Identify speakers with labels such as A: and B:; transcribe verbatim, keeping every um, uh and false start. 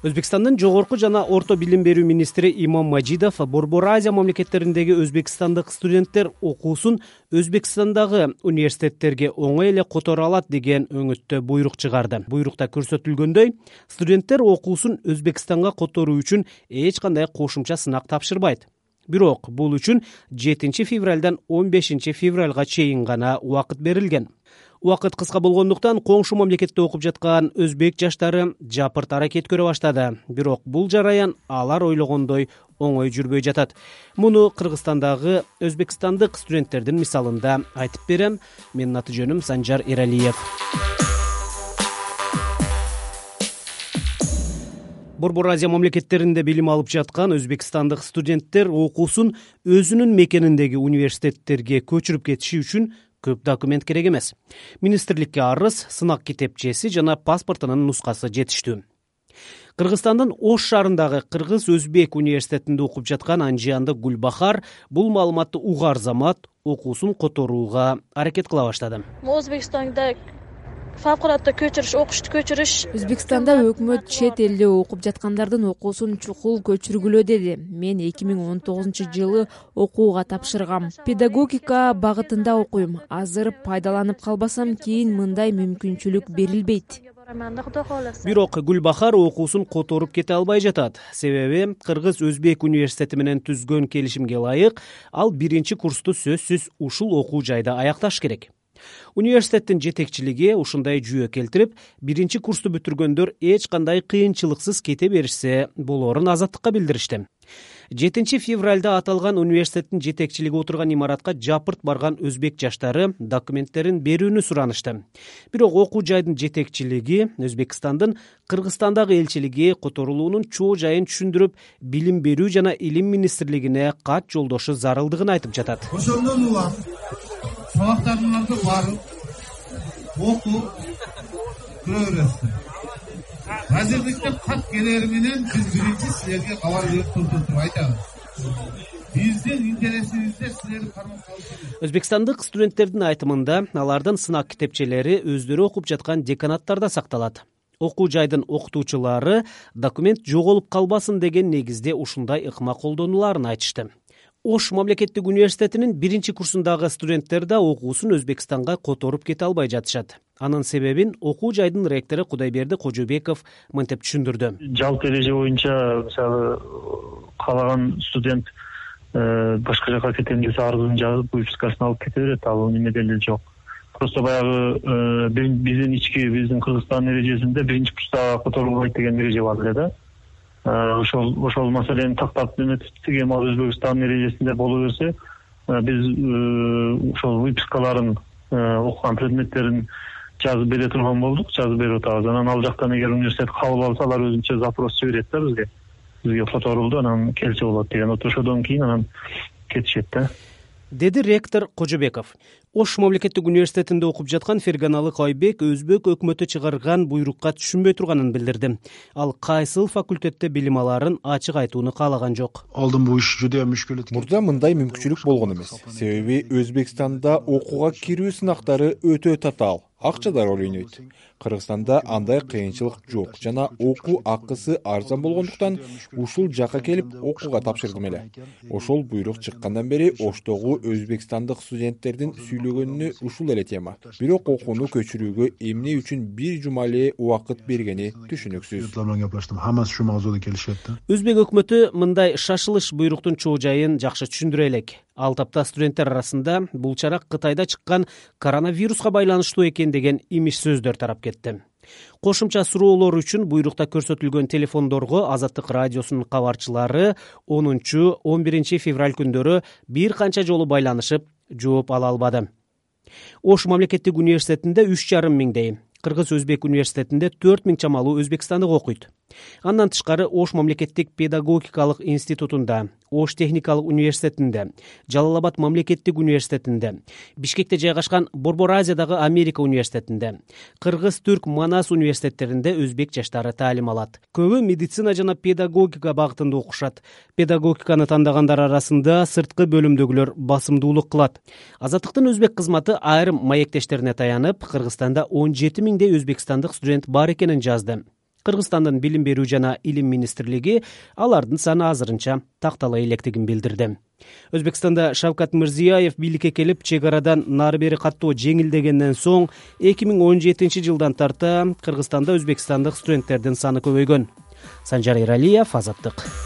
A: Өзбекстандын жогорку жана орто билим берүү министри Имом Мажидов Борбор Азия мамлекеттериндеги өзбекстандык студенттер окуусун Өзбекстандагы университеттерге оңой эле которо алат деген өңүттө буйрук чыгарды. Буйрукта көрсөтүлгөндөй, студенттер окуусун Өзбекстанга которуу үчүн эч кандай кошумча сынак тапшырбайт. Бирок бул үчүн жетинчи февралдан он бешинчи февралга чейин гана убакыт берилген. Убакыт кыска болгондуктан коңшу мамлекетте окуп жаткан өзбек жаштары жапырт аракет көрө баштады. Бирок бул жараян алар ойлогондой оңой жүрбөй жатат. Муну Кыргызстандагы өзбекстандык студенттердин мисалында айтып берем. Менин аты жөнүм Санжар Эралиев. Борбор Азия мамлекеттеринде билим алып жаткан өзбекстандык студенттер окуусун өзүнүн мекениндеги университеттерге көчүрүп кетиши үчүн көп документ керек эмес. Министрликке арыз, сынак китепчеси жана паспортунун нускасы жетиштүү. Кыргызстандын Ош шаарындагы Кыргыз-Өзбек университетинде окуп жаткан Анжиянды Гүлбахар бул маалыматты угар замат окуусун которууга аракет кыла баштады.
B: Өзбекстанда фавкулатта көчүрүш, окушту көчүрүш.
C: Өзбекстанда өкмөт чет элде окуп жаткандардын окуусун чукул көчүргүлө деди. Мен эки миң он тогузунчу жылы окууга тапшыргам. Педагогика багытында окуйм. Азыр пайдаланып калбасам, кийин мындай мүмкүнчүлүк берилбейт.
A: Бирок Гүлбахар окуусун которуп кете албай жатат. Себеби Кыргыз-Өзбек университети менен түзгөн келишимге ылайык ал биринчи курсту сөзсүз ушул окуу жайда аякташ керек. Университеттин жетекчилиги ушундай жүйө келтирип, биринчи курсту бүтүргөндөр эч кандай кыйынчылыксыз кете беришсе болоорун Азаттыкка билдиришти. жетинчи февралда аталган университеттин жетекчилиги отурган имаратка жапырт барган өзбек жаштары документтерин берүүнү суранышты. Бирок окуу жайдын жетекчилиги Өзбекстандын Кыргызстандагы элчилиги которулуунун чоо жайын түшүндүрүп, билим берүү жана илим министрлигине кат жолдошу зарылдыгын айтып жатат.
D: Ошондон улам сабактарыңарды барып, окуп, көрө бересиз. Азырдыкта кат келери менен биз биринчи силерге кабар берип туртуп айтабыз. Биздин интересибизде силерди кармап калышыңыз.
A: Өзбекстандык студенттердин айтымында алардын сынак китепчелери өздөрү окуп жаткан деканаттарда сакталат. Окуу жайдын окутуучулары документ жоголуп калбасын деген негизде ушундай ыкма колдонуларын айтышты. Ош мамлекеттик университетинин биринчи курсундагы студенттер да окуусун Өзбекстанга которуп кете албай жатышат. Анын себебин окуу жайдын ректору Кудайберди Кожобеков мынтип түшүндүрдү.
E: Жалпы эреже боюнча мисалы каалаган студент башка жака кетем десе арызын жазып, выпискасын алып кете берет. Ал немеде эле жок. Просто баягы биздин ички биздин Кыргызстандын эрежесинде биринчи курста которулбайт деген эреже бар эле да. Ошол ошол маселени тактап эметип, эми Өзбекстандын эрежесинде боло берсе, биз ошол выпискаларын, окуган предметтерин жазып бере турган болдук, жазып берип атабыз. Анан ал жактан эгер университет кабыл алса, алар өзүнчө запрос жиберет да бизге. Бизге которулду, анан келсе болот деген. Ошодон кийин анан кетишет да.
A: Деди ректор Кожобеков. Ош мамлекеттик университетинде окуп жаткан Ферганалы Кайбек өзбек өкмөтү чыгарган буйрукка түшүнбөй турганын билдирди. Ал кайсыл факультетте билим аларын ачык айтууну каалаган жок.
F: Алдын бу иш жудая мүшкүл.
G: Мурда мындай мүмкүнчүлүк болгон эмес. Себеби Өзбекстанда окууга кирүү сынактары өтө татаал. Акчада роль ойнойт. Кыргызстанда андай кыйынчылык жок жана окуу акысы арзан болгондуктан ушул жака келип окууга тапшырдым эле. Ошол буйрук чыккандан бери Оштогу өзбекстандык студенттердин сүйлөгөнүнө ушул эле тема. Бирок окууну көчүрүүгө эмне үчүн бир жума эле убакыт бергени түшүнүксүз.
A: Өзбек өкмөтү мындай шашылыш буйруктун чоо жайын жакшы түшүндүрө элек. Ал тапта студенттер арасында бул чара Кытайда чыккан коронавируска байланыштуу экен деген имиш сөздөр тарап кетти. Кошумча суроолор үчүн буйрукта көрсөтүлгөн телефондорго Азаттык радиосунун кабарчылары онунчу он биринчи февраль күндөрү бир канча жолу байланышып, жооп ала албады. Ош мамлекеттик университетинде үч жарым миңдей, Кыргыз-Өзбек университетинде төрт миң чамалуу өзбекстандык окуйт. Андан тышкары Ош мамлекеттик педагогикалык институтунда, Ош техникалык университетинде, Жалал Абад мамлекеттик университетинде, Бишкекте жайгашкан Борбор Азиядагы Америка университетинде, Кыргыз-Түрк Манас университеттеринде өзбек жаштары таалим алат. Көбү медицина жана педагогика багытында окушат. Педагогиканы тандагандар арасында сырткы бөлүмдөгүлөр басымдуулук кылат. Азаттыктын өзбек кызматы айрым маектештерине таянып, Кыргызстанда он жети миңдей өзбекстандык студент бар экенин жазды. Кыргызстандын билим берүү жана илим министрлиги алардын саны азырынча тактала электигин билдирди. Өзбекстанда Шавкат Мирзиёев бийликке келип, чек арадан нары бери каттоо жеңилдегенден соң эки миң он жетинчи жылдан тарта Кыргызстанда өзбекстандык студенттердин саны көбөйгөн. Санжар Эралиев, Азаттык.